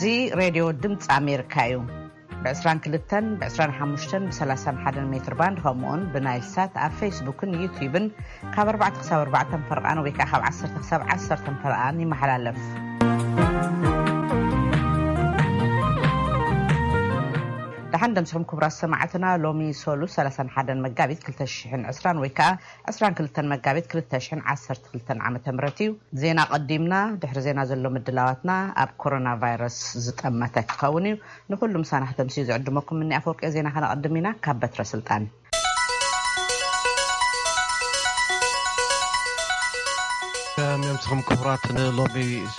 እዚ ሬድዮ ድምፂ ኣሜሪካ እዩ። ብ22፣ ብ25፣ ብ31 ሜትር ባንድ፣ ከምኡውን ብናይል ሳት ኣብ ፌስቡክን ዩቲዩብን ካብ ኣርባዕተ ክሳብ ኣርባዕተ ፈርቓን ወይ ከዓ ካብ ዓሰርተ ክሳብ ዓሰርተ ፈርቓን ይመሓላለፍ። ደሓን ደምስኹም ክቡራት ሰማዕትና። ሎሚ ሶሉስ ሰላሳን ሓደን መጋቢት ክልተ ሽሕን ዕስራን ወይ ከዓ ዕስራን ክልተን መጋቢት ክልተ ሽሕን ዓሰርተ ክልተን ዓመተ ምህረት እዩ። ዜና ቀዲምና፣ ድሕሪ ዜና ዘሎ ምድላዋትና ኣብ ኮሮና ቫይረስ ዝጠመተ ክኸውን እዩ። ንኹሉ ምሳና ከተምስዩ ዝዕድመኩም እኒ ኣፈወርቂ ዜና ከነቐድም ኢና። ካብ በትረ ስልጣን። ሰላም ምስኹም ክቡራት፣ ንሎሚ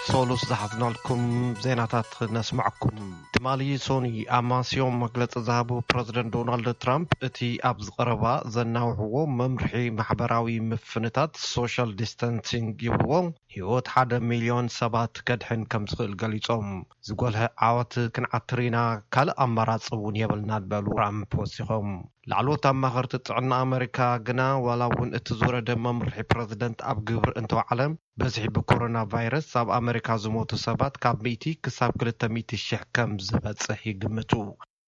ሶሉስ ዝሓዝናልኩም ዜናታት ነስምዐኩም። ትማሊ ሶኒ ኣማስዮም መግለጺ ዝሃቡ ፕረዚደንት ዶናልድ ትራምፕ፣ እቲ ኣብዚ ቀረባ ዘናውሕዎ መምርሒ ማሕበራዊ ምፍንታት፣ ሶሻል ዲስታንሲንግ ይብልዎ፣ ህይወት ሓደ ሚልዮን ሰባት ከድሕን ከም ዝኽእል ገሊጾም። ዝጎልሐ ዓወት ክንዓትር ኢና፣ ካልእ ኣማራጺ እውን የብልናን በሉ ትራምፕ ወሲኾም። ላዕለዎት ኣማኸርቲ ጥዕና ኣመሪካ ግና ዋላ እውን እቲ ዝወረደ መምርሒ ፕረዚደንት ኣብ ግብሪ እንተወዓለ፣ በዝሒ ብኮሮና ቫይረስ ኣብ ኣመሪካ ዝሞቱ ሰባት ካብ ሚእቲ ክሳብ ክልተ ሚእቲ ሽሕ ከም ዝበጽሕ ይግምቱ።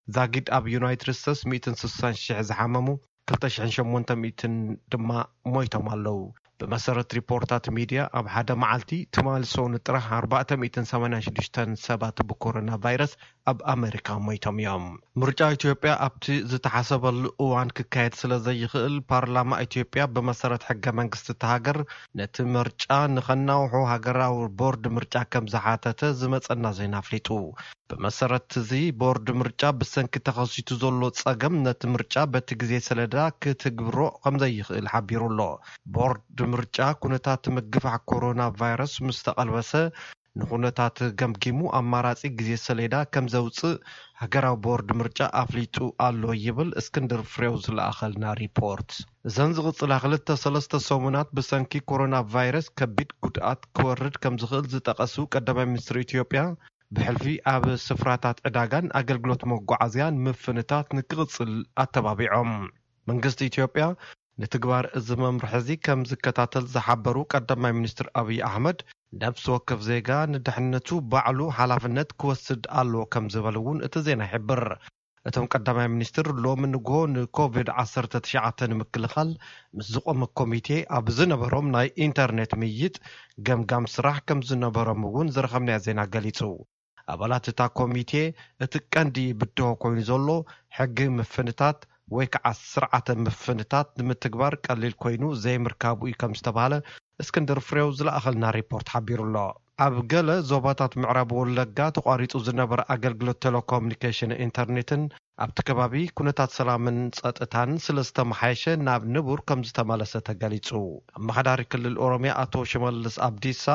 ዛጊድ ኣብ ዩናይትድ ስቴትስ ሚእትን ስሳን ሽሕ ዝሓመሙ፣ ክልተ ሽሕን ሸሞንተ ሚእትን ድማ ሞይቶም ኣለዉ። ብመሰረት ሪፖርታት ሚድያ፣ ኣብ ሓደ መዓልቲ ትማሊ ሶኒ ጥራሕ ኣርባዕተ ሚእትን ሰማንያን ሽዱሽተን ሰባት ብኮሮና ቫይረስ ኣብ ኣመሪካ ሞይቶም እዮም። ምርጫ ኢትዮጵያ ኣብቲ ዝተሓሰበሉ እዋን ክካየድ ስለ ዘይኽእል፣ ፓርላማ ኢትዮጵያ ብመሰረት ሕገ መንግስቲ እታ ሃገር ነቲ ምርጫ ንኸናውሑ ሃገራዊ ቦርድ ምርጫ ከም ዝሓተተ ዝመጸና ዜና ኣፍሊጡ። ብመሰረት እዚ፣ ቦርድ ምርጫ ብሰንኪ ተኸሲቱ ዘሎ ጸገም ነቲ ምርጫ በቲ ግዜ ሰሌዳ ክትግብሮ ከም ዘይኽእል ሓቢሩ ኣሎ። ቦርድ ምርጫ ኩነታት ምግፋሕ ኮሮና ቫይረስ ምስ ተቐልበሰ፣ ንኹነታት ገምጊሙ ኣማራጺ ግዜ ሰሌዳ ከም ዘውጽእ ሃገራዊ ቦርድ ምርጫ ኣፍሊጡ ኣሎ ይብል እስክንድር ፍሬው ዝለኣኸልና ሪፖርት። እዘን ዝቕጽላ ክልተ ሰለስተ ሰሙናት ብሰንኪ ኮሮና ቫይረስ ከቢድ ጉድኣት ክወርድ ከም ዝኽእል ዝጠቐሱ ቀዳማይ ሚኒስትር ኢትዮጵያ፣ ብሕልፊ ኣብ ስፍራታት ዕዳጋን ኣገልግሎት መጓዓዝያን ምፍንታት ንክቕጽል ኣተባቢዖም። መንግስቲ ኢትዮጵያ ንትግባር እዚ መምርሒ እዚ ከም ዝከታተል ዝሓበሩ ቀዳማይ ሚኒስትር ኣብይ ኣሕመድ፣ ነብሲ ወከፍ ዜጋ ንድሕነቱ ባዕሉ ሓላፍነት ክወስድ ኣለዎ ከም ዝበሉ እውን እቲ ዜና ይሕብር። እቶም ቀዳማይ ሚኒስትር ሎሚ ንግሆ ንኮቪድ ዓሰርተ ትሽዓተ ንምክልኻል ምስ ዝቖመ ኮሚቴ ኣብ ዝነበሮም ናይ ኢንተርኔት ምይይጥ፣ ገምጋም ስራሕ ከም ዝነበሮም እውን ዝረኸብናዮ ዜና ገሊጹ። ኣባላት እታ ኮሚቴ፣ እቲ ቀንዲ ብድሆ ኮይኑ ዘሎ ሕጊ ምፍንታት ወይ ከዓ ስርዓተ ምፍንታት ንምትግባር ቀሊል ኮይኑ ዘይምርካቡ እዩ ከም ዝተባህለ እስክንድር ፍሬው ዝለኣኸልና ሪፖርት ሓቢሩ ኣሎ። ኣብ ገለ ዞባታት ምዕራብ ወለጋ ተቋሪጹ ዝነበረ ኣገልግሎት ቴሌኮሙኒኬሽን ኢንተርኔትን ኣብቲ ከባቢ ኩነታት ሰላምን ጸጥታን ስለ ዝተመሓየሸ ናብ ንቡር ከም ዝተመለሰ ተገሊጹ። ኣመሓዳሪ ክልል ኦሮሚያ ኣቶ ሽመልስ ኣብዲሳ፣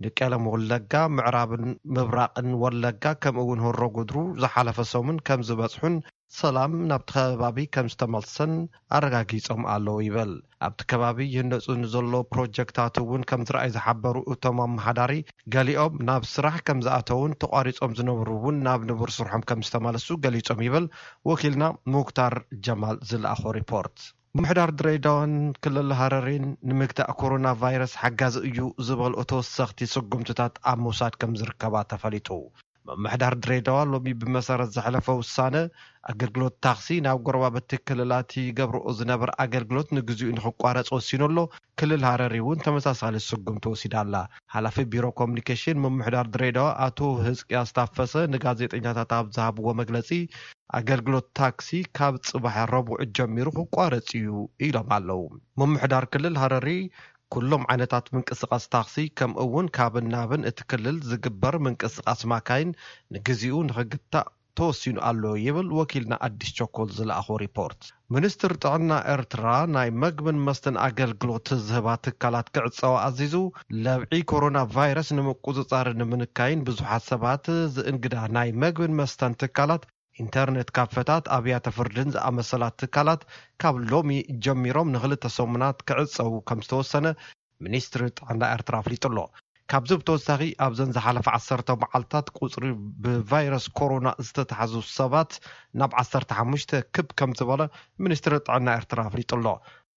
ንቄለም ወለጋ፣ ምዕራብን ምብራቕን ወለጋ፣ ከምኡ እውን ሆሮ ጉድሩ ዝሓለፈ ሰሙን ከም ዝበጽሑን ሰላም ናብቲ ከባቢ ከም ዝተመልሰን ኣረጋጊጾም ኣለዉ ይብል። ኣብቲ ከባቢ ይህነጹ ንዘሎ ፕሮጀክታት እውን ከም ዝረኣዩ ዝሓበሩ እቶም ኣመሓዳሪ፣ ገሊኦም ናብ ስራሕ ከም ዝኣተዉን ተቋሪጾም ዝነበሩ እውን ናብ ንቡር ስርሖም ከም ዝተመለሱ ገሊጾም ይብል ወኪልና ሙክታር ጀማል ዝለኣኾ ሪፖርት። ምምሕዳር ድሬዳዋን ክልል ሃረሪን ንምግታእ ኮሮና ቫይረስ ሓጋዚ እዩ ዝበልኦ ተወሰኽቲ ስጉምትታት ኣብ ምውሳድ ከም ዝርከባ ተፈሊጡ። ምምሕዳር ድሬዳዋ ሎሚ ብመሰረት ዘሕለፈ ውሳነ፣ ኣገልግሎት ታክሲ ናብ ጎረባብቲ ክልላት ይገብርኦ ዝነበረ ኣገልግሎት ንግዚኡ ንክቋረጽ ወሲኑ ኣሎ። ክልል ሃረሪ እውን ተመሳሳሊ ስጉምቲ ወሲዳ ኣላ። ሓላፊ ቢሮ ኮሙኒኬሽን ምምሕዳር ድሬዳዋ ኣቶ ህዝቅያስ ታፈሰ ንጋዜጠኛታት ኣብ ዝሃብዎ መግለጺ፣ ኣገልግሎት ታክሲ ካብ ጽባሕ ረቡዕ ጀሚሩ ክቋረጽ እዩ ኢሎም ኣለዉ። ምምሕዳር ክልል ሃረሪ ኩሎም ዓይነታት ምንቅስቓስ ታክሲ፣ ከምኡ እውን ካብን ናብን እቲ ክልል ዝግበር ምንቅስቓስ ማካይን ንግዚኡ ንኽግታእ ተወሲኑ ኣሎ ይብል ወኪልና ኣዲስ ቸኮል ዝለኣኾ ሪፖርት። ሚኒስትር ጥዕና ኤርትራ፣ ናይ መግብን መስተን ኣገልግሎት ዝህባ ትካላት ክዕጸዋ ኣዚዙ። ለብዒ ኮሮና ቫይረስ ንምቁጽጻርን ንምንካይን ብዙሓት ሰባት ዝእንግዳ ናይ መግብን መስተን ትካላት፣ ኢንተርኔት ካፈታት፣ ኣብያተ ፍርድን ዝኣመሰላ ትካላት ካብ ሎሚ ጀሚሮም ንኽልተ ሰሙናት ክዕጸዉ ከም ዝተወሰነ ሚኒስትሪ ጥዕና ኤርትራ ኣፍሊጡ ኣሎ። ካብዚ ብተወሳኺ፣ ኣብዘን ዝሓለፈ ዓሰርተ መዓልታት ቁጽሪ ብቫይረስ ኮሮና ዝተታሕዙ ሰባት ናብ ዓሰርተ ሓሙሽተ ክብ ከም ዝበለ ሚኒስትሪ ጥዕና ኤርትራ ኣፍሊጡ ኣሎ።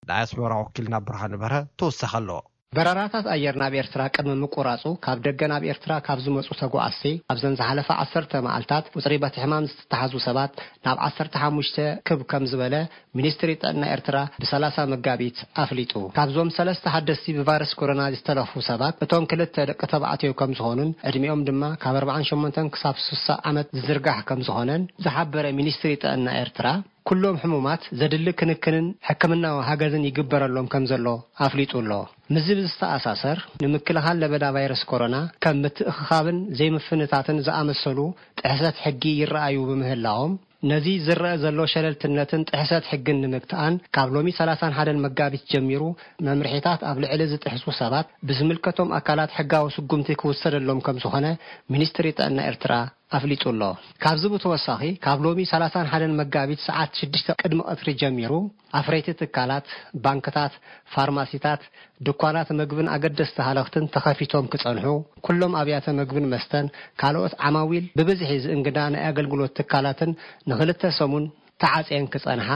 ናይ ኣስመራ ወኪልና ብርሃነ በርሀ ተወሳኺ ኣሎ። በረራታት ኣየር ናብ ኤርትራ ቅድሚ ምቁራጹ፣ ካብ ደገ ናብ ኤርትራ ካብ ዝመጹ ተጓዓዝቲ፣ ኣብዘን ዝሓለፈ ዓሰርተ መዓልታት ቁጽሪ በቲ ሕማም ዝተታሕዙ ሰባት ናብ ዓሰርተ ሓሙሽተ ክብ ከም ዝበለ ሚኒስትሪ ጥዕና ኤርትራ ብሰላሳ መጋቢት ኣፍሊጡ። ካብዞም ሰለስተ ሓደስቲ ብቫይረስ ኮሮና ዝተለፉ ሰባት፣ እቶም ክልተ ደቂ ተባዕትዮ ከም ዝኾኑን ዕድሚኦም ድማ ካብ ኣርባዓን ሸሞንተን ክሳብ ስሳ ዓመት ዝዝርጋሕ ከም ዝኾነን ዝሓበረ ሚኒስትሪ ጥዕና ኤርትራ፣ ኩሎም ሕሙማት ዘድሊ ክንክንን ሕክምናዊ ሃገዝን ይግበረሎም ከም ዘሎ ኣፍሊጡ ኣሎ። ምስዚ ብዝተኣሳሰር፣ ንምክልኻል ለበዳ ቫይረስ ኮሮና ከም ምትእኽኻብን ዘይምፍንታትን ዝኣመሰሉ ጥሕሰት ሕጊ ይረኣዩ ብምህላዎም፣ ነዚ ዝረአ ዘሎ ሸለልትነትን ጥሕሰት ሕግን ንምግታኣን፣ ካብ ሎሚ ሰላሳን ሓደን መጋቢት ጀሚሩ፣ መምርሒታት ኣብ ልዕሊ ዝጥሕሱ ሰባት ብዝምልከቶም ኣካላት ሕጋዊ ስጉምቲ ክውሰደሎም ከም ዝኾነ ሚኒስትሪ ጥዕና ኤርትራ ኣፍሊጡ ኣሎ። ካብዚ ብተወሳኺ፣ ካብ ሎሚ ሰላሳን ሓደን መጋቢት ሰዓት ሽዱሽተ ቅድሚ ቀትሪ ጀሚሩ፣ ኣፍረይቲ ትካላት፣ ባንክታት፣ ፋርማሲታት፣ ድኳናት መግብን ኣገደስቲ ሃለኽትን ተኸፊቶም ክጸንሑ፣ ኩሎም ኣብያተ መግብን መስተን፣ ካልኦት ዓማዊል ብብዝሒ ዝእንግዳ ናይ ኣገልግሎት ትካላትን ንኽልተ ሰሙን ተዓጽየን ክጸንሓ፣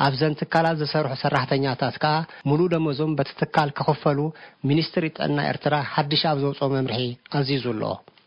ኣብዘን ትካላት ዝሰርሑ ሰራሕተኛታት ከኣ ሙሉእ ደሞዞም በቲ ትካል ክኽፈሉ ሚኒስትሪ ጥዕና ኤርትራ ሓድሽ ኣብ ዘውጽኦ መምርሒ ኣዚዙ ኣሎ።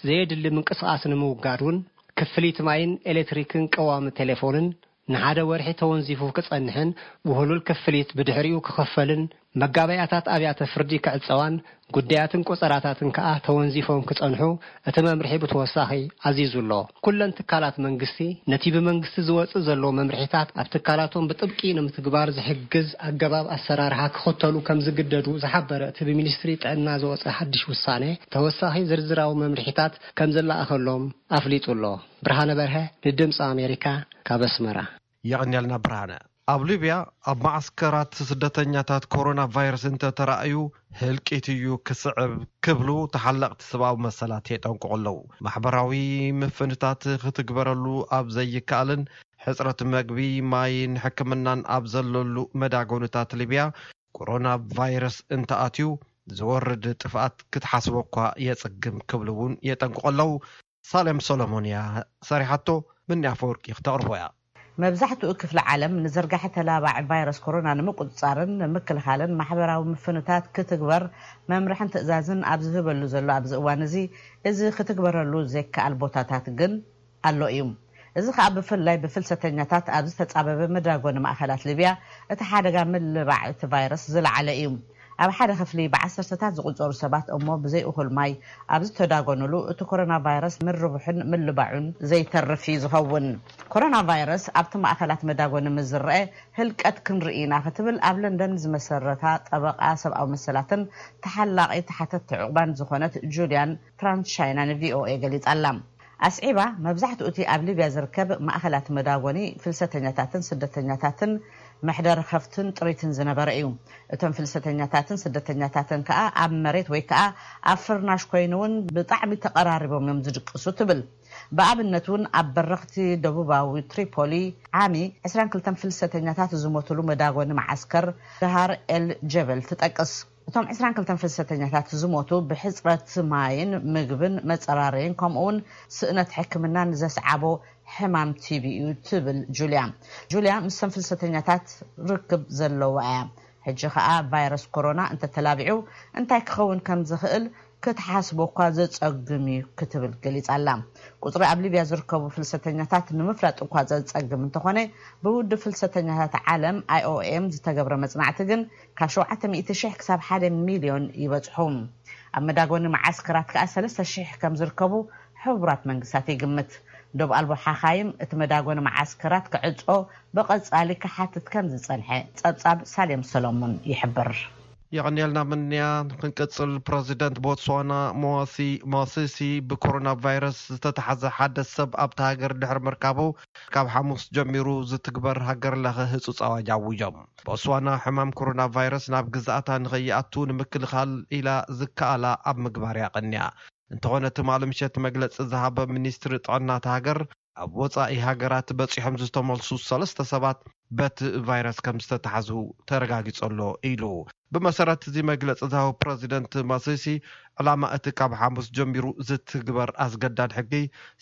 ዘየድሊ ምንቅስቓስ ንምውጋድ እውን ክፍሊት ማይን ኤሌክትሪክን ቀዋሚ ቴሌፎንን ንሓደ ወርሒ ተወንዚፉ ክጸንሕን ውህሉል ክፍሊት ብድሕሪኡ ክኽፈልን መጋበያታት ኣብያተ ፍርዲ ክዕጸዋን ጉዳያትን ቆጸራታትን ከኣ ተወንዚፎም ክጸንሑ እቲ መምርሒ ብተወሳኺ ኣዚዙ ኣሎ። ኩለን ትካላት መንግስቲ ነቲ ብመንግስቲ ዝወጽእ ዘሎ መምርሒታት ኣብ ትካላቶም ብጥብቂ ንምትግባር ዝሕግዝ ኣገባብ ኣሰራርሓ ክኽተሉ ከም ዝግደዱ ዝሓበረ እቲ ብሚኒስትሪ ጥዕና ዝወጸ ሓድሽ ውሳነ፣ ተወሳኺ ዝርዝራዊ መምርሒታት ከም ዝለኣኸሎም ኣፍሊጡ ኣሎ። ብርሃነ በርሀ ንድምፂ ኣሜሪካ ካብ ኣስመራ። የቐንየልና ብርሃነ። ኣብ ሊብያ ኣብ መዓስከራት ስደተኛታት ኮሮና ቫይረስ እንተተራእዩ ህልቂት እዩ ክስዕብ ክብሉ ተሓለቕቲ ሰብኣዊ መሰላት የጠንቅቑ ኣለዉ። ማሕበራዊ ምፍንታት ክትግበረሉ ኣብ ዘይከኣልን ሕጽረት መግቢ፣ ማይን ሕክምናን ኣብ ዘለሉ መዳጎንታት ሊብያ ኮሮና ቫይረስ እንተኣትዩ ዝወርድ ጥፍኣት ክትሓስቦ እኳ የጽግም ክብሉ እውን የጠንቅቑ ኣለዉ። ሳሌም ሰሎሞን እያ ሰሪሓቶ፣ ምኒ ኣፈወርቂ ክተቕርቦ እያ። መብዛሕትኡ ክፍሊ ዓለም ንዝርጋሐ ተላባዒ ቫይረስ ኮሮና ንምቁጽጻርን ንምክልኻልን ማሕበራዊ ምፍንታት ክትግበር መምርሕን ትእዛዝን ኣብ ዝህበሉ ዘሎ ኣብዚ እዋን እዚ፣ እዚ ክትግበረሉ ዘይከኣል ቦታታት ግን ኣሎ እዩ። እዚ ከኣ ብፍላይ ብፍልሰተኛታት ኣብ ዝተጻበበ መዳጎኒ ማእከላት ሊብያ እቲ ሓደጋ ምልባዕ እቲ ቫይረስ ዝለዓለ እዩ። ኣብ ሓደ ክፍሊ ብዓሰርተታት ዝቑጸሩ ሰባት እሞ ብዘይ እኹል ማይ ኣብ ዝተዳጎኑሉ፣ እቲ ኮሮና ቫይረስ ምርብሑን ምልባዑን ዘይተርፍ እዩ ዝኸውን። ኮሮና ቫይረስ ኣብቲ ማእከላት መዳጎኒ ምስ ዝረአ፣ ህልቀት ክንርኢ ኢና ክትብል ኣብ ለንደን ዝመሰረታ ጠበቓ ሰብኣዊ መሰላትን ተሓላቒ ተሓተትቲ ዕቑባን ዝኾነት ጁልያን ትራንስቻይና ንቪኦኤ ገሊጻ ኣላ። ኣስዒባ፣ መብዛሕትኡ እቲ ኣብ ሊብያ ዝርከብ ማእከላት መዳጎኒ ፍልሰተኛታትን ስደተኛታትን መሕደሪ ከፍትን ጥሪትን ዝነበረ እዩ። እቶም ፍልሰተኛታትን ስደተኛታትን ከኣ ኣብ መሬት ወይ ከኣ ኣብ ፍርናሽ ኮይኑ እውን ብጣዕሚ ተቐራሪቦም እዮም ዝድቅሱ ትብል። ብኣብነት እውን ኣብ በረኽቲ ደቡባዊ ትሪፖሊ ዓሚ ዕስራን ክልተን ፍልሰተኛታት ዝሞትሉ መዳጎኒ መዓስከር ድሃር ኤል ጀበል ትጠቅስ። እቶም ዕስራን ክልተን ፍልሰተኛታት ዝሞቱ ብሕጽረት ማይን ምግብን መጸራረይን ከምኡውን ስእነት ሕክምናን ዘስዓቦ ሕማም ቲቢ እዩ ትብል ጁልያ። ጁልያ ምስቶም ፍልሰተኛታት ርክብ ዘለዋ እያ። ሕጂ ከኣ ቫይረስ ኮሮና እንተተላቢዑ እንታይ ክኸውን ከም ዝኽእል ክትሓስቦ እኳ ዘጸግም እዩ ክትብል ገሊጻ ኣላ። ቁጽሪ ኣብ ሊብያ ዝርከቡ ፍልሰተኛታት ንምፍላጥ እኳ ዘጸግም እንተኾነ፣ ብውድብ ፍልሰተኛታት ዓለም ኣይኦኤም ዝተገብረ መጽናዕቲ ግን ካብ ሸውዓተ ሚእቲ ሽሕ ክሳብ ሓደ ሚልዮን ይበጽሑ። ኣብ መዳጎኒ መዓስከራት ከኣ ሰለስተ ሽሕ ከም ዝርከቡ ሕቡራት መንግስታት ይግምት። ዶብ ኣልቦ ሓኻይም እቲ መዳጎኒ መዓስከራት ክዕጾ ብቐጻሊ ክሓትት ከም ዝጸንሐ ጸብጻብ ሳሌም ሰሎሞን ይሕብር። የቐንየልና ምንያ። ክንቅጽል፣ ፕረዚደንት ቦትስዋና ሞዋሲ ሞሲሲ ብኮሮና ቫይረስ ዝተተሓዘ ሓደ ሰብ ኣብታ ሃገር ድሕሪ ምርካቡ፣ ካብ ሓሙስ ጀሚሩ ዝትግበር ሃገር ለኸ ህጹጽ ኣዋጅ ኣዊጆም። ቦትስዋና ሕማም ኮሮና ቫይረስ ናብ ግዝኣታ ንኸይኣቱ ንምክልኻል ኢላ ዝከኣላ ኣብ ምግባር እያ ቀንያ። እንተኾነ ትማሊ ምሸት መግለጺ ዝሃበ ሚኒስትሪ ጥዕና እታ ሃገር፣ ኣብ ወጻኢ ሃገራት በጺሖም ዝተመልሱ ሰለስተ ሰባት በቲ ቫይረስ ከም ዝተታሕዙ ተረጋጊጹ ኣሎ ኢሉ። ብመሰረት እዚ መግለፂ ዝሃቡ ፕረዚደንት ማሲሲ፣ ዕላማ እቲ ካብ ሓሙስ ጀሚሩ ዝትግበር ኣስገዳድ ሕጊ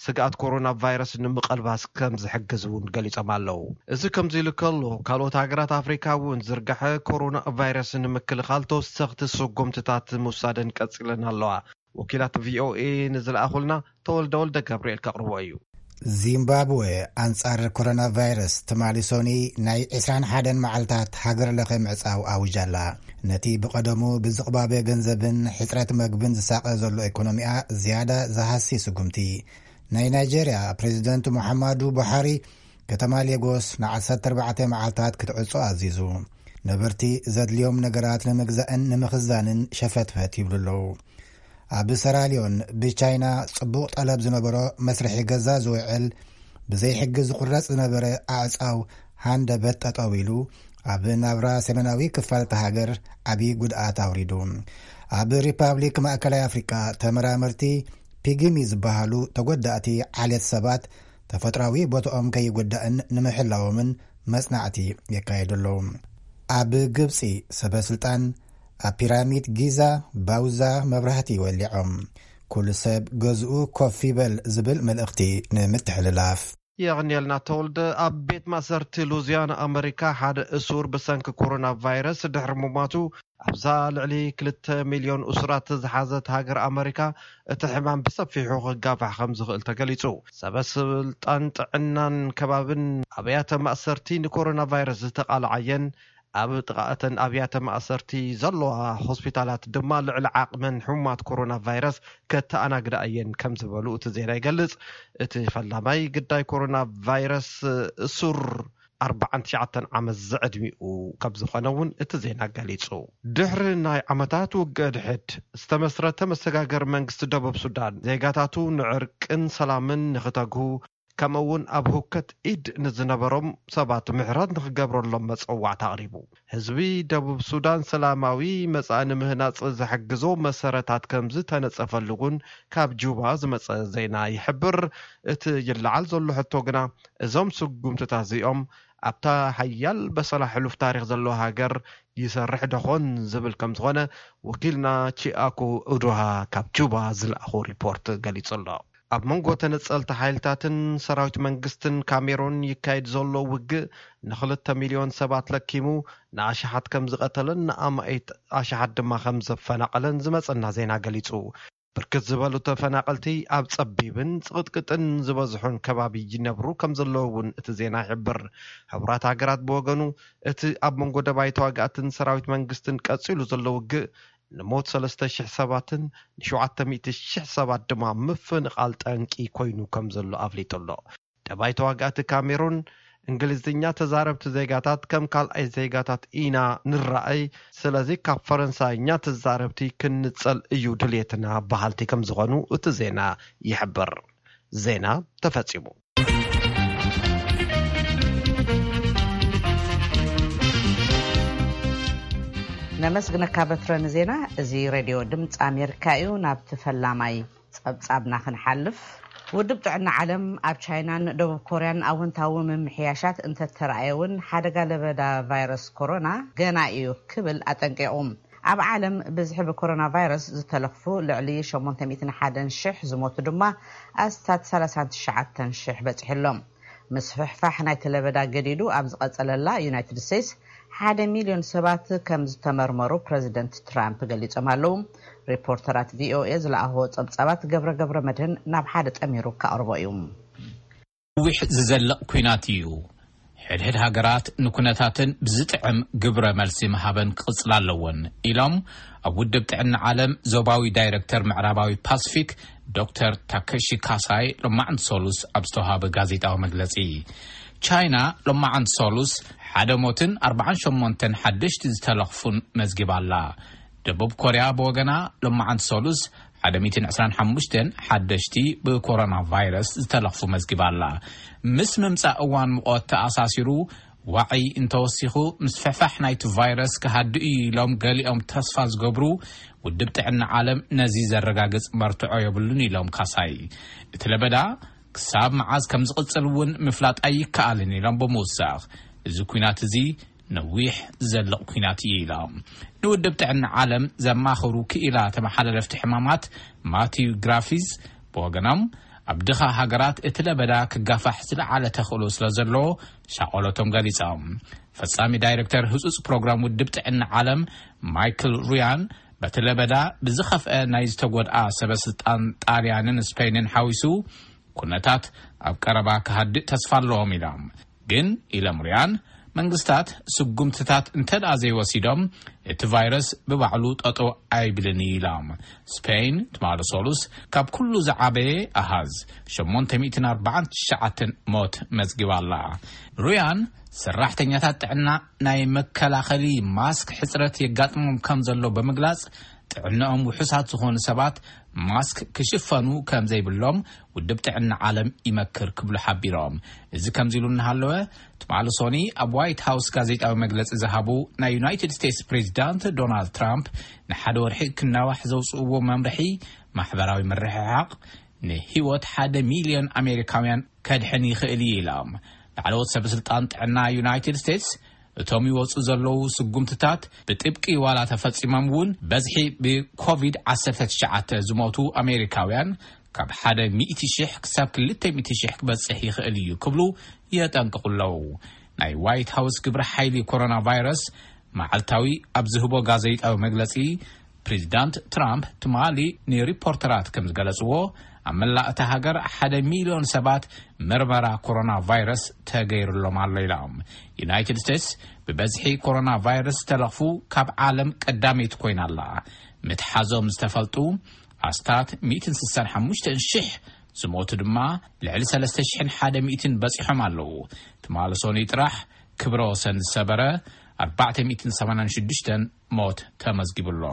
ስግኣት ኮሮና ቫይረስ ንምቐልባስ ከም ዝሕግዝ እውን ገሊጾም ኣለዉ። እዚ ከምዚ ኢሉ ከሎ፣ ካልኦት ሃገራት ኣፍሪካ እውን ዝርግሐ ኮሮና ቫይረስ ንምክልኻል ተወሰኽቲ ስጉምትታት ምውሳደን ቀጺለን ኣለዋ። ወኪላት ቪኦኤ ንዝለኣኹልና ተወልደ ወልደ ገብርኤል ከቕርቦ እዩ። ዚምባብወ ኣንጻር ኮሮና ቫይረስ ትማሊ ሶኒ ናይ ዕስራን ሓደን መዓልታት ሃገር ለኸ ምዕጻው ኣውጃ ኣላ። ነቲ ብቐደሙ ብዝቕባበ ገንዘብን ሕጽረት መግብን ዝሳቐ ዘሎ ኢኮኖሚኣ ዝያዳ ዝሃሲ ስጉምቲ። ናይ ናይጄርያ ፕሬዚደንት ሙሓማዱ ቡሓሪ ከተማ ሌጎስ ንዓሰርተ ኣርባዕተ መዓልታት ክትዕጾ ኣዚዙ። ነበርቲ ዘድልዮም ነገራት ንምግዛእን ንምኽዛንን ሸፈትፈት ይብሉ ኣለዉ። ኣብ ሰራልዮን ብቻይና ጽቡቕ ጠለብ ዝነበሮ መስርሒ ገዛ ዝውዕል ብዘይሕጊ ዝቑረጽ ዝነበረ ኣዕጻው ሃንደበት ጠጠው ኢሉ፣ ኣብ ናብራ ሰሜናዊ ክፋል እታ ሃገር ዓቢ ጉድኣት ኣውሪዱ። ኣብ ሪፓብሊክ ማእከላይ ኣፍሪቃ ተመራመርቲ ፒግሚ ዝበሃሉ ተጎዳእቲ ዓሌት ሰባት ተፈጥራዊ ቦታኦም ከይጉዳእን ንምሕላዎምን መጽናዕቲ የካየዱ ኣለዉ። ኣብ ግብጺ ሰበ ስልጣን ኣብ ፒራሚድ ጊዛ ባውዛ መብራህቲ ወሊዖም። ኩሉ ሰብ ገዝኡ ኮፍ ይበል ዝብል መልእኽቲ ንምትሕልላፍ። የቕንየልና ተወልደ። ኣብ ቤት ማእሰርቲ ሉዚያና ኣመሪካ ሓደ እሱር ብሰንኪ ኮሮና ቫይረስ ድሕሪ ምሟቱ ኣብዛ ልዕሊ ክልተ ሚልዮን እሱራት ዝሓዘት ሃገር ኣመሪካ እቲ ሕማም ብሰፊሑ ክጋፋሕ ከም ዝኽእል ተገሊጹ። ሰበ ስልጣን ጥዕናን ከባብን ኣብያተ ማእሰርቲ ንኮሮና ቫይረስ ዝተቓልዓየን ኣብ ጥቓ እተን ኣብያተ ማእሰርቲ ዘለዋ ሆስፒታላት ድማ ልዕሊ ዓቕመን ሕሙማት ኮሮና ቫይረስ ከተኣናግዳ እየን ከም ዝበሉ እቲ ዜና ይገልጽ። እቲ ፈላማይ ግዳይ ኮሮና ቫይረስ እሱር ኣርባዓን ትሽዓተን ዓመት ዝዕድሚኡ ከም ዝኾነ እውን እቲ ዜና ገሊጹ። ድሕሪ ናይ ዓመታት ውግእ ድሕድ ዝተመስረተ መሰጋገሪ መንግስቲ ደቡብ ሱዳን ዜጋታቱ ንዕርቅን ሰላምን ንኽተግሁ፣ ከምኡ እውን ኣብ ህውከት ኢድ ንዝነበሮም ሰባት ምሕረት ንኽገብረሎም መጸዋዕታ ኣቕሪቡ። ህዝቢ ደቡብ ሱዳን ሰላማዊ መጻኢ ንምህናጽ ዝሕግዞ መሰረታት ከም ዝተነጸፈሉ እውን ካብ ጁባ ዝመጸ ዜና ይሕብር። እቲ ይለዓል ዘሎ ሕቶ ግና፣ እዞም ስጉምትታት እዚኦም ኣብታ ሓያል በሰላ ሕሉፍ ታሪኽ ዘለዎ ሃገር ይሰርሕ ደኾን ዝብል ከም ዝኾነ ወኪልና ቺኣኮ ኡዱሃ ካብ ጁባ ዝለኣኾ ሪፖርት ገሊጹ ኣሎ። ኣብ መንጎ ተነጸልቲ ሓይልታትን ሰራዊት መንግስትን ካሜሩን ይካየድ ዘሎ ውግእ ንኽልተ ሚልዮን ሰባት ለኪሙ፣ ንኣሽሓት ከም ዝቐተለን ንኣማኢት ኣሽሓት ድማ ከም ዘፈናቐለን ዝመጸና ዜና ገሊጹ። ብርክት ዝበሉ ተፈናቐልቲ ኣብ ጸቢብን ጽቕጥቅጥን ዝበዝሑን ከባቢ ይነብሩ ከም ዘለዉ እውን እቲ ዜና ይሕብር። ሕቡራት ሃገራት ብወገኑ፣ እቲ ኣብ መንጎ ደባይ ተዋጋእትን ሰራዊት መንግስትን ቀጺሉ ዘሎ ውግእ ንሞት ሰለስተ ሽሕ ሰባትን ንሸውዓተ ሚእቲ ሽሕ ሰባት ድማ ምፍንቓል ጠንቂ ኮይኑ ከም ዘሎ ኣፍሊጡ ኣሎ። ደባይ ተዋጋእቲ ካሜሩን፣ እንግሊዝኛ ተዛረብቲ ዜጋታት ከም ካልኣይ ዜጋታት ኢና ንረኣይ፣ ስለዚ ካብ ፈረንሳይኛ ተዛረብቲ ክንጸል እዩ ድልየትና በሃልቲ ከም ዝኾኑ እቲ ዜና ይሕብር። ዜና ተፈጺሙ። ነመስግነካ በትረ ንዜና። እዚ ሬድዮ ድምፂ ኣሜሪካ እዩ። ናብቲ ፈላማይ ጸብጻብና ክንሓልፍ፣ ውድብ ጥዕና ዓለም ኣብ ቻይናን ደቡብ ኮርያን ኣወንታዊ ምምሕያሻት እንተተረኣየ እውን፣ ሓደጋ ለበዳ ቫይረስ ኮሮና ገና እዩ ክብል ኣጠንቂቑ። ኣብ ዓለም ብዝሒ ብኮሮና ቫይረስ ዝተለኽፉ ልዕሊ ሸሞንተ ሚእትን ሓደን ሽሕ፣ ዝሞቱ ድማ ኣስታት ሰላሳን ትሽዓተን ሽሕ በጺሑ ኣሎ። ምስፍሕፋሕ ናይቲ ለበዳ ገዲዱ ኣብ ዝቐጸለላ ዩናይትድ ስቴትስ፣ ሓደ ሚልዮን ሰባት ከም ዝተመርመሩ ፕረዚደንት ትራምፕ ገሊጾም ኣለዉ። ሪፖርተራት ቪኦኤ ዝለኣኽዎ ጸብጻባት ገብረ ገብረ መድህን ናብ ሓደ ጠሚሩ ከቕርቦ እዩ። ነዊሕ ዝዘልቕ ኲናት እዩ። ሕድሕድ ሃገራት ንኩነታተን ብዝጥዕም ግብረ መልሲ ምሃበን ክቕጽላ ኣለወን ኢሎም ኣብ ውድብ ጥዕና ዓለም ዞባዊ ዳይረክተር ምዕራባዊ ፓስፊክ ዶክተር ታከሺ ካሳይ ሎማዕንቲ ሰሉስ ኣብ ዝተዋሃበ ጋዜጣዊ መግለጺ። ቻይና ሎማዕንቲ ሰሉስ ሓደ ሞትን ኣርባዓን ሸሞንተን ሓደሽቲ ዝተለኽፉን መዝጊባ ኣላ። ደቡብ ኮርያ ብወገና ሎማዕንቲ ሰሉስ ሓደ ሚእትን ዕስራን ሓሙሽተን ሓደሽቲ ብኮሮና ቫይረስ ዝተለኽፉ መዝጊባ ኣላ። ምስ ምምጻእ እዋን ሙቐት ተኣሳሲሩ ዋዒ እንተወሲኹ ምስፍሕፋሕ ናይቲ ቫይረስ ክሃድእ እዩ ኢሎም ገሊኦም ተስፋ ዝገብሩ፣ ውድብ ጥዕና ዓለም ነዚ ዘረጋግጽ መርትዖ የብሉን ኢሎም ካሳይ። እቲ ለበዳ ክሳብ መዓዝ ከም ዝቕጽል እውን ምፍላጥ ኣይከኣልን ኢሎም ብምውሳኽ፣ እዚ ኲናት እዚ ነዊሕ ዝዘልቕ ኲናት እዩ ኢላ። ንውድብ ጥዕና ዓለም ዘማኽሩ ክኢላ ተመሓላለፍቲ ሕማማት ማቲው ግራፊዝ ብወገኖም፣ ኣብ ድኻ ሃገራት እቲ ለበዳ ክጋፋሕ ዝለዓለ ተኽእሎ ስለ ዘለዎ ሻቐሎቶም ገሊጾም። ፈጻሚ ዳይሬክተር ህጹጽ ፕሮግራም ውድብ ጥዕና ዓለም ማይክል ሩያን፣ በቲ ለበዳ ብዝኸፍአ ናይ ዝተጎድኣ ሰበ ስልጣን ጣልያንን ስፔንን ሓዊሱ፣ ኩነታት ኣብ ቀረባ ክሃድእ ተስፋ ኣለዎም ኢሎም። ግን ኢሎም ሩያን፣ መንግስታት ስጉምትታት እንተ ደኣ ዘይወሲዶም፣ እቲ ቫይረስ ብባዕሉ ጠጠው ኣይብልን እዩ ኢሎም። ስፔን ትማሊ ሰሉስ ካብ ኩሉ ዝዓበየ ኣሃዝ ሸሞንተ ሚእትን ኣርባዓን ትሽዓተን ሞት መዝጊባ ኣላ። ሩያን፣ ሰራሕተኛታት ጥዕና ናይ መከላኸሊ ማስክ ሕጽረት የጋጥሞም ከም ዘሎ ብምግላጽ፣ ጥዕንኦም ውሑሳት ዝኾኑ ሰባት ማስክ ክሽፈኑ ከም ዘይብሎም ውድብ ጥዕና ዓለም ይመክር ክብሉ ሓቢሮም። እዚ ከምዚ ኢሉ እናሃለወ፣ ትማሊ ሶኒ ኣብ ዋይት ሃውስ ጋዜጣዊ መግለጺ ዝሃቡ ናይ ዩናይትድ ስቴትስ ፕሬዚዳንት ዶናልድ ትራምፕ፣ ንሓደ ወርሒ ክናዋሕ ዘውፅእዎ መምርሒ ማሕበራዊ ምርሕሓቕ ንህይወት ሓደ ሚልዮን ኣሜሪካውያን ከድሕን ይኽእል እዩ ኢሎም። ላዕለዎት ሰበስልጣን ጥዕና ዩናይትድ ስቴትስ፣ እቶም ይወፁ ዘለዉ ስጉምትታት ብጥብቂ ዋላ ተፈፂሞም እውን፣ በዝሒ ብኮቪድ ዓሰርተ ትሽዓተ ዝሞቱ ኣሜሪካውያን ካብ ሓደ ሚእቲ ሽሕ ክሳብ ክልተ ሚእቲ ሽሕ ክበፅሕ ይኽእል እዩ ክብሉ የጠንቅቑ ኣለዉ። ናይ ዋይት ሃውስ ግብረ ሓይሊ ኮሮና ቫይረስ መዓልታዊ ኣብ ዝህቦ ጋዜጣዊ መግለፂ፣ ፕሬዚዳንት ትራምፕ ትማሊ ንሪፖርተራት ከም ዝገለፅዎ፣ ኣብ መላእ እታ ሃገር ሓደ ሚልዮን ሰባት ምርመራ ኮሮና ቫይረስ ተገይሩሎም ኣሎ ኢሎም። ዩናይትድ ስቴትስ ብበዝሒ ኮሮና ቫይረስ ዝተለኽፉ ካብ ዓለም ቀዳመይቲ ኮይና ኣላ። ምትሓዞም ዝተፈልጡ ኣስታት ሚእትን ስሳን ሓሙሽተን ሽሕ፣ ዝሞቱ ድማ ልዕሊ ሰለስተ ሽሕን ሓደ ሚእትን በፂሖም ኣለዉ። ትማሊ ሶኒ ጥራሕ ክብረ ወሰን ዝሰበረ ኣርባዕተ ሚእትን ሰማንያን ሽዱሽተን ሞት ተመዝጊቡ ኣሎ።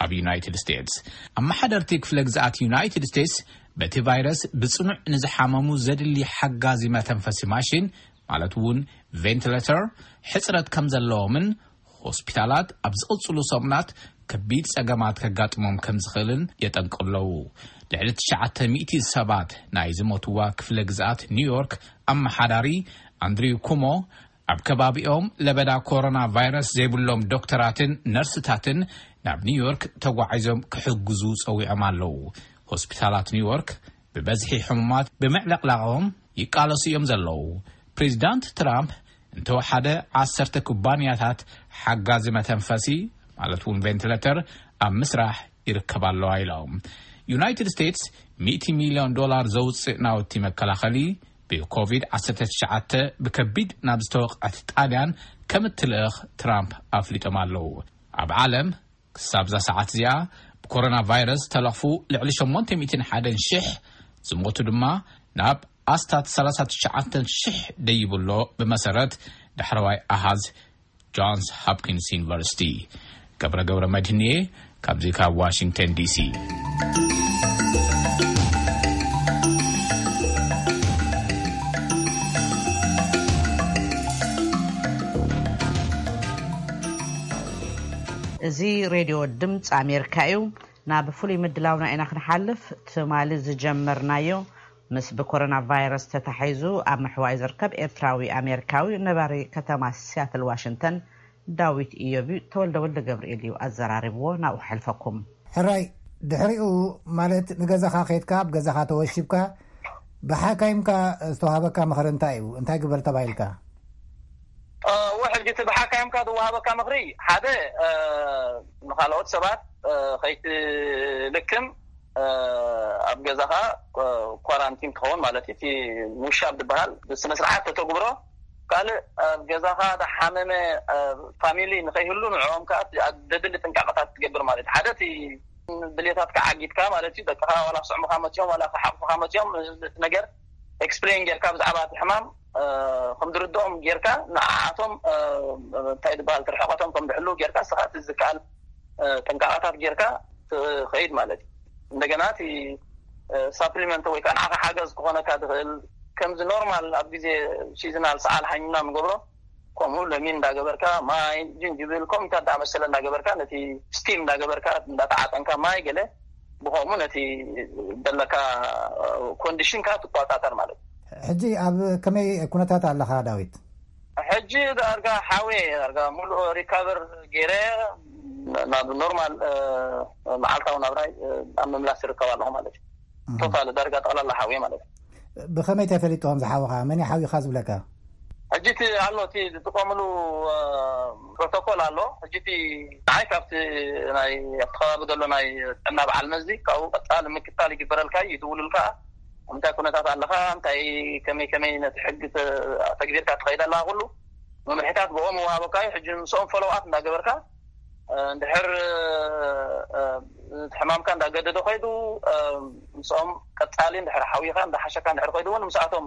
ኣብ ዩናይትድ ስቴትስ፣ ኣመሓደርቲ ክፍለ ግዝኣት ዩናይትድ ስቴትስ በቲ ቫይረስ ብጽኑዕ ንዝሓመሙ ዘድሊ ሓጋዚ መተንፈሲ ማሽን፣ ማለት እውን ቬንቲሌተር፣ ሕጽረት ከም ዘለዎምን ሆስፒታላት ኣብ ዝቕጽሉ ሰሙናት ከቢድ ጸገማት ከጋጥሞም ከም ዝኽእልን የጠንቅቑ ኣለዉ። ልዕሊ ትሽዓተ ሚእቲ ሰባት ናይ ዝሞትዋ ክፍለ ግዝኣት ኒውዮርክ ኣመሓዳሪ ኣንድሪው ኩሞ፣ ኣብ ከባቢኦም ለበዳ ኮሮና ቫይረስ ዘይብሎም ዶክተራትን ነርስታትን ናብ ኒውዮርክ ተጓዒዞም ክሕግዙ ጸዊዖም ኣለዉ። ሆስፒታላት ኒውዮርክ ብበዝሒ ሕሙማት ብምዕለቕላቖም ይቃለሱ እዮም ዘለዉ። ፕሬዚዳንት ትራምፕ እንተወሓደ ዓሰርተ ኩባንያታት ሓጋዚ መተንፈሲ፣ ማለት እውን ቬንቲሌተር፣ ኣብ ምስራሕ ይርከባ ኣለዋ ኢሎም። ዩናይትድ ስቴትስ ሚእቲ ሚልዮን ዶላር ዘውፅእ ናውቲ መከላኸሊ ብኮቪድ ዓሰርተ ትሽዓተ ብከቢድ ናብ ዝተወቕዐት ጣልያን ከም እትልእኽ ትራምፕ ኣፍሊጦም ኣለዉ። ኣብ ዓለም ክሳብ እዛ ሰዓት እዚኣ ብኮሮና ቫይረስ ተለኽፉ ልዕሊ ሸሞንተ ሚእትን ሓደን ሽሕ፣ ዝሞቱ ድማ ናብ ኣስታት ሰላሳ ትሽዓተ ሽሕ ደይቡ ኣሎ፣ ብመሰረት ዳሕረዋይ ኣሃዝ ጆንስ ሆፕኪንስ ዩኒቨርሲቲ። ገብረ ገብረ መድህንየ፣ ካብዚ ካብ ዋሽንግተን ዲሲ። እዚ ሬድዮ ድምፂ ኣሜሪካ እዩ። ናብ ፍሉይ ምድላውና ኢና ክንሓልፍ። ትማሊ ዝጀመርናዮ ምስ ብኮሮና ቫይረስ ተታሒዙ ኣብ ምሕዋይ ዝርከብ ኤርትራዊ ኣሜሪካዊ ነባሪ ከተማ ሲያትል ዋሽንግተን ዳዊት ኢዮብ እዩ። ተወልደ ወልደ ገብርኤል እዩ ኣዘራሪብዎ። ናብኡ ከሕልፈኩም። ሕራይ፣ ድሕሪኡ ማለት ንገዛኻ ከይድካ ኣብ ገዛኻ ተወሺብካ ብሓካይምካ ዝተዋህበካ ምኽሪ እንታይ እዩ? እንታይ ግበር ተባሂልካ? እወ፣ ሕጂ እቲ ብሓካይምካ ዝወሃበካ ምኽሪ፣ ሓደ፣ ንኻልኦት ሰባት ከይትልክም ኣብ ገዛኻ ኳራንቲን ትኸውን ማለት እዩ። እቲ ሙሻብ ዝበሃል ብስነ ስርዓት ተተግብሮ፣ ካልእ ኣብ ገዛኻ ዝሓመመ ፋሚሊ ንኸይህሉ ንዕኦም ከዓ ዘድሊ ጥንቃቐታት ትገብር ማለት እዩ። ሓደ እቲ ድሌታትካ ዓጊትካ ማለት እዩ። ደቅኻ ዋላ ክስዕሙኻ መፅኦም ዋላ ክሓቑፉኻ መፅኦም፣ እቲ ነገር ኤክስፕሌን ጌርካ ብዛዕባ እቲ ሕማም ከም ዝርድኦም ጌርካ ንዓኣቶም እንታይ ዝበሃል ርሕቐቶም ከም ዝሕልው ጌርካ ንስኻ እቲ ዝከኣል ጥንቃቐታት ጌርካ ትኸይድ ማለት እዩ። እንደገና እቲ ሳፕሊመንት ወይ ከዓ ንዓኻ ሓገዝ ክኾነካ ዝኽእል ከምዚ ኖርማል ኣብ ግዜ ሲዝናል ሰዓል ሓሚምና ንገብሮ ከምኡ ለሚን እንዳገበርካ ማይ ጅንጅብል ከምኡ እንታይ እንዳመሰለ እንዳገበርካ ነቲ ስቲም እንዳገበርካ እንዳተዓጠንካ ማይ ገለ ብኸምኡ ነቲ ዘለካ ኮንዲሽንካ ትቆፃፀር ማለት እዩ። ሕጂ ኣብ ከመይ ኩነታት ኣለኻ ዳዊት? ሕጂ ዳርጋ ሓውየ ዳርጋ ሙሉእ ሪካቨር ገይረ ናብ ኖርማል መዓልታዊ ናብራይ ኣብ ምምላስ ይርከብ ኣለኹ ማለት እዩ። ቶታል ዳርጋ ጠቕላላ ሓውየ ማለት እዩ። ብኸመይ ተፈሊጥዎም ዝሓውኻ? መን ሓዊኻ ዝብለካ? ሕጂ እቲ ኣሎ እቲ ዝጥቀምሉ ፕሮቶኮል ኣሎ። ሕጂ እቲ ንዓይ ካብቲ ናይ ኣብቲ ከባቢ ዘሎ ናይ ጥዕና በዓል መዚ ካብኡ ቀፃሊ ምክታል ይግበረልካ እዩ። ይድውሉልካ እንታይ ኩነታት ኣለኻ፣ እንታይ ከመይ ከመይ ነቲ ሕጊ ተግቢርካ ትኸይድ ኣለኻ፣ ኩሉ መምርሒታት ብኦም ይወሃበካ እዩ። ሕጂ ምስኦም ፎሎው ኣፕ እንዳገበርካ እንድሕር እቲ ሕማምካ እንዳገደደ ኮይዱ ምስኦም ቀፃሊ እንድሕር ሓዊኻ እንዳሓሸካ እንድሕር ኮይዱ እውን ምስኣቶም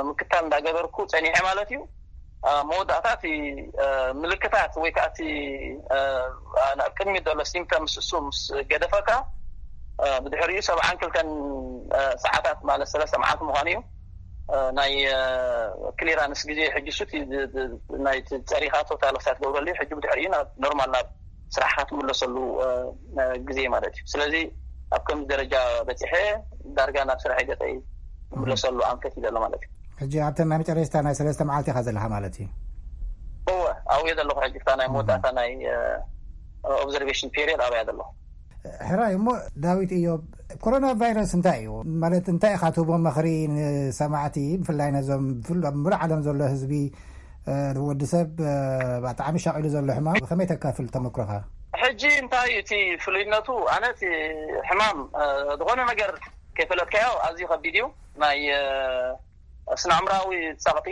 ምክታል እንዳገበርኩ ፀኒሐ ማለት እዩ። መወዳእታ እቲ ምልክታት ወይ ከዓ እቲ ናብ ቅድሚት ዘሎ ሲምፕተምስ እሱ ምስ ገደፈካ ብድሕሪኡ ሰብዓን ክልተን ሰዓታት ማለት ሰለስተ መዓልቲ ምዃኑ እዩ። ናይ ክሊራንስ ግዜ ሕጂ እሱ ናይ ፀሪኻ ቶታል ሳት ገብረሉ ሕጂ ብድሕሪኡ ናብ ኖርማል ናብ ስራሕካ ትምለሰሉ ግዜ ማለት እዩ። ስለዚ ኣብ ከምዚ ደረጃ በፂሐ ዳርጋ ናብ ስራሕ ገፀይ ትምለሰሉ ኣንፈት እዩ ዘሎ ማለት እዩ። ሕጂ ኣብተን ናይ መጨረሽታ ናይ ሰለስተ መዓልቲ ኢኻ ዘለኻ ማለት እዩ። እወ ኣብኡ እየ ዘለኹ። ሕጂ ክታ ናይ መወዳእታ ናይ ኦብዘርቬሽን ፔሪየድ ኣብያ ዘለኹ። ሕራይ እሞ ዳዊት እዮብ፣ ኮሮና ቫይረስ እንታይ እዩ ማለት እንታይ ኢኻ ትህቦ መኽሪ ንሰማዕቲ፣ ብፍላይ ነዞም ብፍሉ- ኣብ ሙሉእ ዓለም ዘሎ ህዝቢ ወዲ ሰብ ብጣዕሚ ሻቒሉ ዘሎ ሕማም ብኸመይ ተካፍል ተመክሮኻ? ሕጂ እንታይ እዩ እቲ ፍሉይነቱ? ኣነ እቲ ሕማም ዝኾነ ነገር ከይፈለጥካዮ ኣዝዩ ከቢድ እዩ። ናይ ስነ ኣእምራዊ ፀቕጢ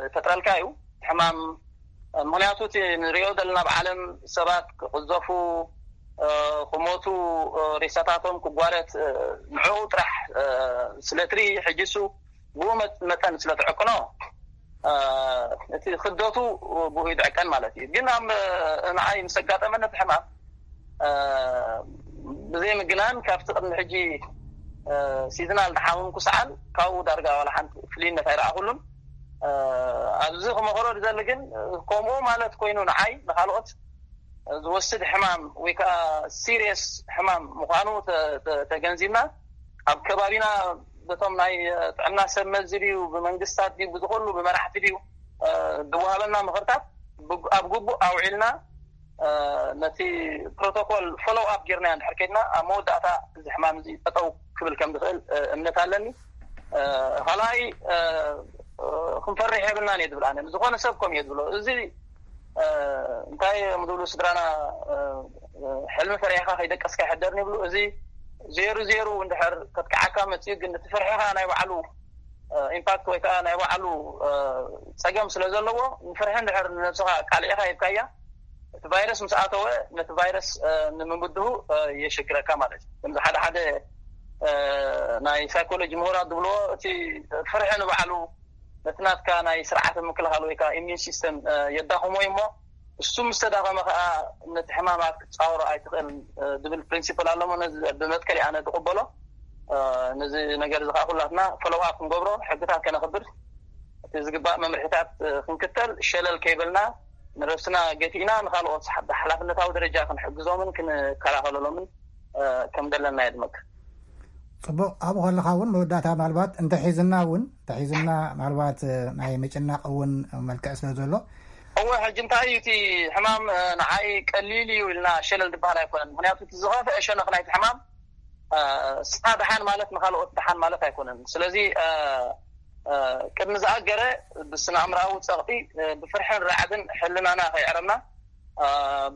ይፈጥረልካ እዩ ሕማም። ምክንያቱ እቲ ንሪኦ ዘለና ኣብ ዓለም ሰባት ክቕዘፉ ክሞቱ ሬሳታቶም ክጓረት ንዕኡ ጥራሕ ስለትርኢ ሕጂ እሱ ብኡ መጠን ስለትዕቅኖ እቲ ክብደቱ ብኡ ይድዕቀን ማለት እዩ። ግን ኣብ ንዓይ ምስ ኣጋጠመኒ እቲ ሕማም ብዘይ ምግናን ካብቲ ቅድሚ ሕጂ ሲዝናል ዝሓመምኩ ሰዓል ካብኡ ዳርጋ ዋላ ሓንቲ ፍልይነት ኣይረኣኹሉን። ኣብዚ ክመኽሮ ዝደሊ ግን ከምኡ ማለት ኮይኑ ንዓይ ንካልኦት ዝወስድ ሕማም ወይ ከዓ ሲሪየስ ሕማም ምዃኑ ተገንዚብና ኣብ ከባቢና በቶም ናይ ጥዕና ሰብ መዚ ድዩ ብመንግስታት ድዩ ብዝኮሉ ብመራሕቲ ድዩ ዝወሃበና ምኽርታት ኣብ ግቡእ ኣውዒልና ነቲ ፕሮቶኮል ፎሎው ኣፕ ጌርና እንድሕር ከድና ኣብ መወዳእታ እዚ ሕማም እዚ ጠጠው ክብል ከም ዝኽእል እምነት ኣለኒ። ካልኣይ ክንፈርሕ የብልናን እየ ዝብል ኣነ። ዝኾነ ሰብ ከም እየ ዝብሎ እዚ እንታይ እዮም ዝብሉ ስድራና ሕልሚ ፈሪሕካ ከይደቀስካ ይሕደርን ይብሉ። እዚ ዜሩ ዜሩ እንድሕር ከጥቅዓካ መፅኡ ግን እቲ ፍርሕኻ ናይ ባዕሉ ኢምፓክት ወይ ከዓ ናይ ባዕሉ ፀገም ስለ ዘለዎ ንፍርሒ እንድሕር ንነብስኻ ቃልዒኻ ሂብካያ እቲ ቫይረስ ምስ ኣተወ ነቲ ቫይረስ ንምብድሁ የሸግረካ ማለት እዩ። ከምዚ ሓደ ሓደ ናይ ሳይኮሎጂ ምሁራት ዝብልዎ እቲ ፍርሒ ንባዕሉ ነቲ ናትካ ናይ ስርዓተ ምክልኻል ወይ ከዓ ኢሚን ሲስተም የዳኽሞ እዩ እሞ እሱ ምስ ተዳኸመ ከዓ ነቲ ሕማማት ክትፃወሮ ኣይትኽእል ዝብል ፕሪንሲፕል ኣሎ። ነዚ ብመትከል ኣነ ዝቕበሎ። ነዚ ነገር እዚ ከዓ ኩላትና ፎሎው ኣፕ ክንገብሮ ሕግታት ከነኽብር እቲ ዝግባእ መምርሒታት ክንክተል ሸለል ከይበልና ንረብስና ገቲእና ንካልኦት ብሓላፍነታዊ ደረጃ ክንሕግዞምን ክንከላኸለሎምን ከም ዘለና የድመክ። ፅቡቕ። ኣብኡ ከለኻ እውን መወዳእታ ምናልባት እንተሒዝና እውን እንተሒዝና ምናልባት ናይ ምጭናቕ እውን መልክዕ ስለ ዘሎ እወ ሕጂ እንታይ እዩ እቲ ሕማም ንዓይ ቀሊል እዩ ኢልና ሸለል ዝበሃል ኣይኮነን። ምክንያቱ እቲ ዝኸፍአ ሸነኽ ናይቲ ሕማም ስኻ ደሓን ማለት ንካልኦት ደሓን ማለት ኣይኮነን። ስለዚ ቅድሚ ዝኣገረ ብስነ ኣእምራዊ ፀቕጢ ብፍርሕን ራዕድን ሕልናና ከይዕረምና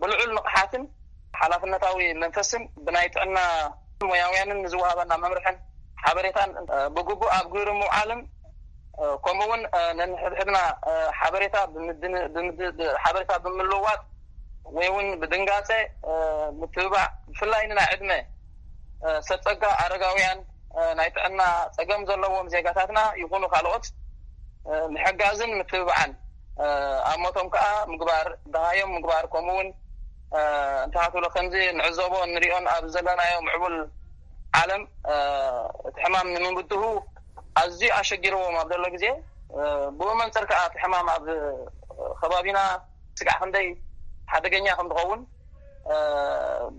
ብልዑል ንቕሓትን ሓላፍነታዊ መንፈስን ብናይ ጥዕና ሞያውያንን ንዝወሃበና መምርሕን ሓበሬታን ብግቡእ ኣብ ግብሪ ምውዓልን ከምኡ እውን ነንሕድሕድና ሓበሬታ ሓበሬታ ብምልውዋጥ ወይ እውን ብድንጋፀ ምትብባዕ ብፍላይ ንናይ ዕድመ ሰብ ፀጋ ኣረጋውያን ናይ ጥዕና ፀገም ዘለዎም ዜጋታትና ይኹኑ ካልኦት ምሕጋዝን ምትብባዕን ኣብ ሞቶም ከዓ ምግባር ደሃዮም ምግባር ከምኡ እውን እንተሃትብሎ ከምዚ ንዕዘቦ ንሪኦን ኣብ ዘለናዮ ምዕቡል ዓለም እቲ ሕማም ንምብድሁ ኣዝዩ ኣሸጊርዎም ኣብ ዘሎ ግዜ ብኡ መንፅር ከዓ እቲ ሕማም ኣብ ከባቢና ስጋዕ ክንደይ ሓደገኛ ከም ዝኸውን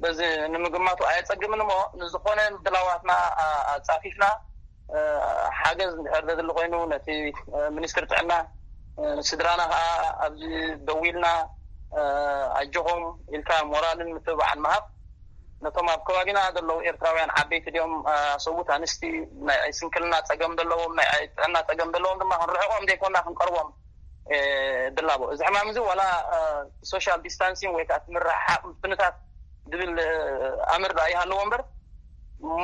በዚ ንምግማቱ ኣየፀግምን እሞ ንዝኾነ ምድላዋትና ኣፃፊፍና ሓገዝ እንድሕር ዘድሊ ኮይኑ ነቲ ሚኒስትሪ ጥዕና ስድራና ከዓ ኣብዚ ደዊልና ኣጆኹም ኢልካ ሞራልን ምትብባዕን ምሃብ፣ ነቶም ኣብ ከባቢና ዘለዉ ኤርትራውያን ዓበይቲ ድዮም ሰብኡት ኣንስቲ፣ ናይ ስንክልና ፀገም ዘለዎም፣ ናይ ጥዕና ፀገም ዘለዎም ድማ ክንርሕቆም ዘይኮና ክንቀርቦም ድላቦ። እዚ ሕማም እዚ ዋላ ሶሻል ዲስታንሲንግ ወይ ከዓ ምርሕሓቅ ምፍንታት ዝብል ኣምር ዳ ይሃለዎ እምበር፣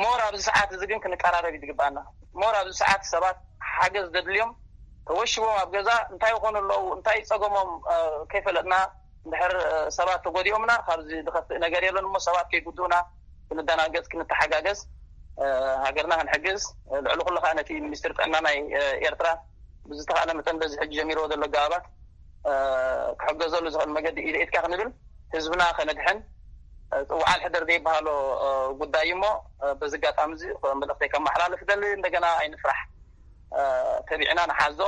ሞር ኣብዚ ሰዓት እዚ ግን ክንቀራረብ ይግባና። ሞር ኣብዚ ሰዓት ሰባት ሓገዝ ዘድልዮም ተወሽቦም ኣብ ገዛ እንታይ ይኾኑ ኣለዉ፣ እንታይ ጸገሞም ከይፈለጥና፣ እንድሕር ሰባት ተጎዲኦምና ካብዚ ዝኸፍእ ነገር የለን እሞ ሰባት ከይጉድኡና ክንደናገጽ፣ ክንተሓጋገዝ፣ ሃገርና ክንሕግዝ፣ ልዕሊ ኩሉ ከዓ ነቲ ሚኒስትሪ ጥዕና ናይ ኤርትራ ብዝተኻእለ መጠን በዚ ሕጂ ጀሚርዎ ዘሎ ኣገባባት ክሕገዘሉ ዝኽእል መገዲ ኢድ ኢድካ ክንብል ህዝብና ከነድሕን፣ ጽውዓል ሕደር ዘይበሃሎ ጉዳይ እሞ በዚ ኣጋጣሚ እዚ መልእኽተይ ከመሓላልፍ ደሊ። እንደገና ኣይንፍራሕ፣ ተቢዕና ንሓዞ፣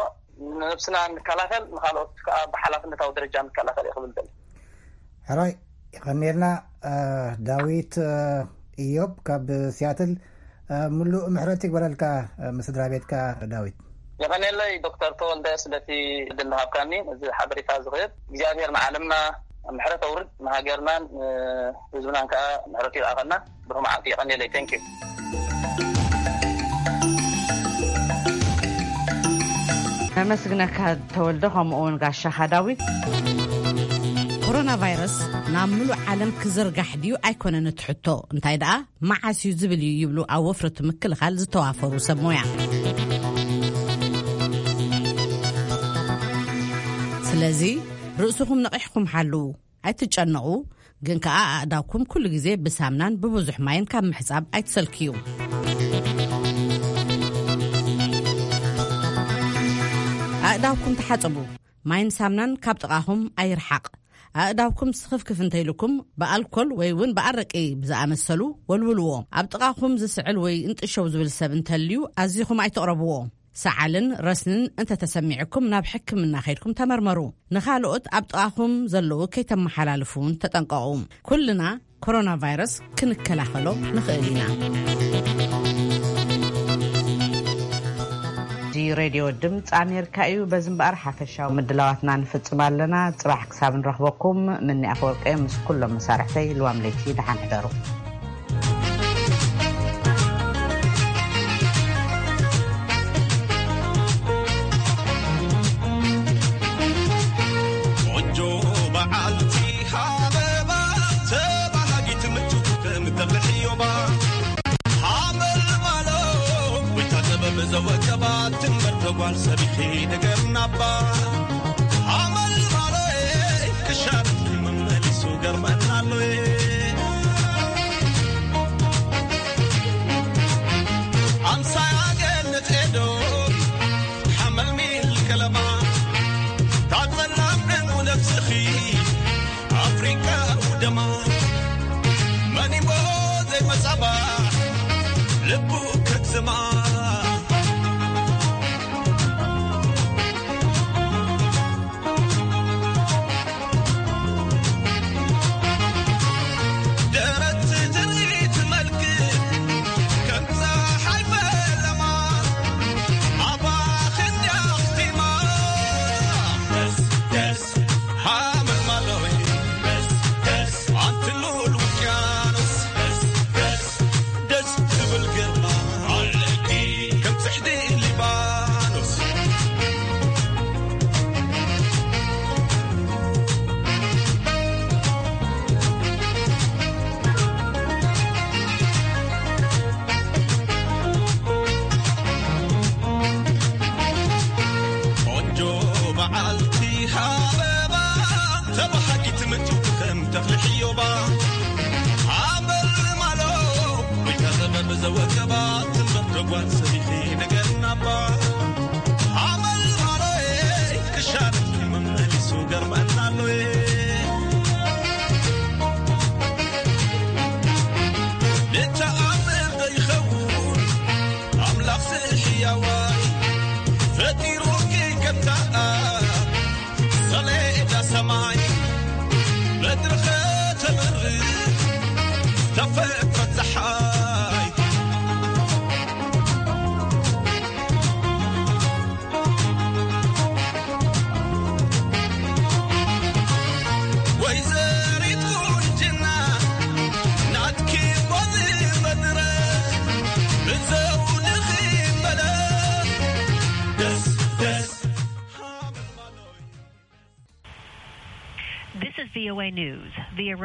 ንነብስና ንከላኸል፣ ንካልኦት ከዓ ብሓላፍነታዊ ደረጃ ንከላኸል እየ ክብል ደሊ። ሕራይ፣ ይቐንየልና። ዳዊት እዮብ ካብ ሲያትል፣ ምሉእ ምሕረት ይግበረልካ፣ ምስ ስድራ ቤትካ ዳዊት። የቐንየለይ ዶክተር ተወልደ ስለቲ ዕድል ዝሃብካኒ። እዚ ሓበሬታ ዝኽህብ እግዚኣብሔር ንዓለምና ምሕረት ኣውርድ፣ ንሃገርናን ህዝብናን ከዓ ምሕረቱ ይልኣኸልና። ብሩኽ መዓልቲ። የቐንየለይ። Thank you። ነመስግነካ ተወልደ፣ ከምኡ እውን ጋሻኻ ዳዊት። ኮሮና ቫይረስ ናብ ምሉእ ዓለም ክዝርጋሕ ድዩ ኣይኮነን እቲ ሕቶ፣ እንታይ ደኣ መዓስ እዩ ዝብል እዩ ይብሉ ኣብ ወፍሪ ምክልኻል ዝተዋፈሩ ሰብ ሞያ። ስለዚ ርእስኹም ነቒሕኩም ሓልዉ፣ ኣይትጨነቑ። ግን ከኣ ኣእዳውኩም ኩሉ ግዜ ብሳምናን ብብዙሕ ማይን ካብ ምሕጻብ ኣይትሰልክዩ። ኣእዳውኩም ተሓጸቡ። ማይን ሳምናን ካብ ጥቓኹም ኣይርሓቕ። ኣእዳውኩም ስኽፍክፍ እንተይልኩም ብኣልኮል ወይ እውን ብኣረቂ ብዝኣመሰሉ ወልውልዎ። ኣብ ጥቓኹም ዝስዕል ወይ እንጥሸው ዝብል ሰብ እንተልዩ ኣዚኹም ኣይትቕረብዎ። ሰዓልን ረስንን እንተተሰሚዕኩም ናብ ሕክምና ከይድኩም ተመርመሩ። ንኻልኦት ኣብ ጥቓኹም ዘለዉ ከይተመሓላልፉ እውን ተጠንቀቑ። ኩልና ኮሮና ቫይረስ ክንከላኸሎ ንኽእል ኢና። እዚ ሬድዮ ድምፂ ኣሜሪካ እዩ። በዚ እምበኣር ሓፈሻዊ ምድላዋትና ንፍፅም ኣለና። ፅባሕ ክሳብ ንረኽበኩም ምኒ ኣፈወርቂ ምስ ኩሎም መሳርሕተይ ልዋም ለይቲ ደሓን ሕደሩ። ቆንጆ በዓልቲ ሃበባ ተባሃጊት ምቹ ከም ተብሕዮባ ሓመልማሎ ወይታ ጥበብ ዘወቀባ ትንበር ተጓል ሰቢኺ ነገርናባ ሓመልማሎ ክሻብ መመሊሱ ገርመናሎ ኣምሳያ ገነት ኤዶ ሓመልሚል ከለማ ታጸላም ዕኑ ነብስኺ ኣፍሪቃ ውደማ መኒሞ ዘይመጻባ ልቡ ከግዝማ ደረት ትርኢት መልክ ከም ፀሓይ ፈለማ ኣባኽን ያኽቲማ ደስ ደስ ሓመልማሎይ ደስ ደስ ኣንቲ ልዑል ውቅያኖስ ደስ ደስ ደስ ትብል ግርማ ኣለኪ VOA News, the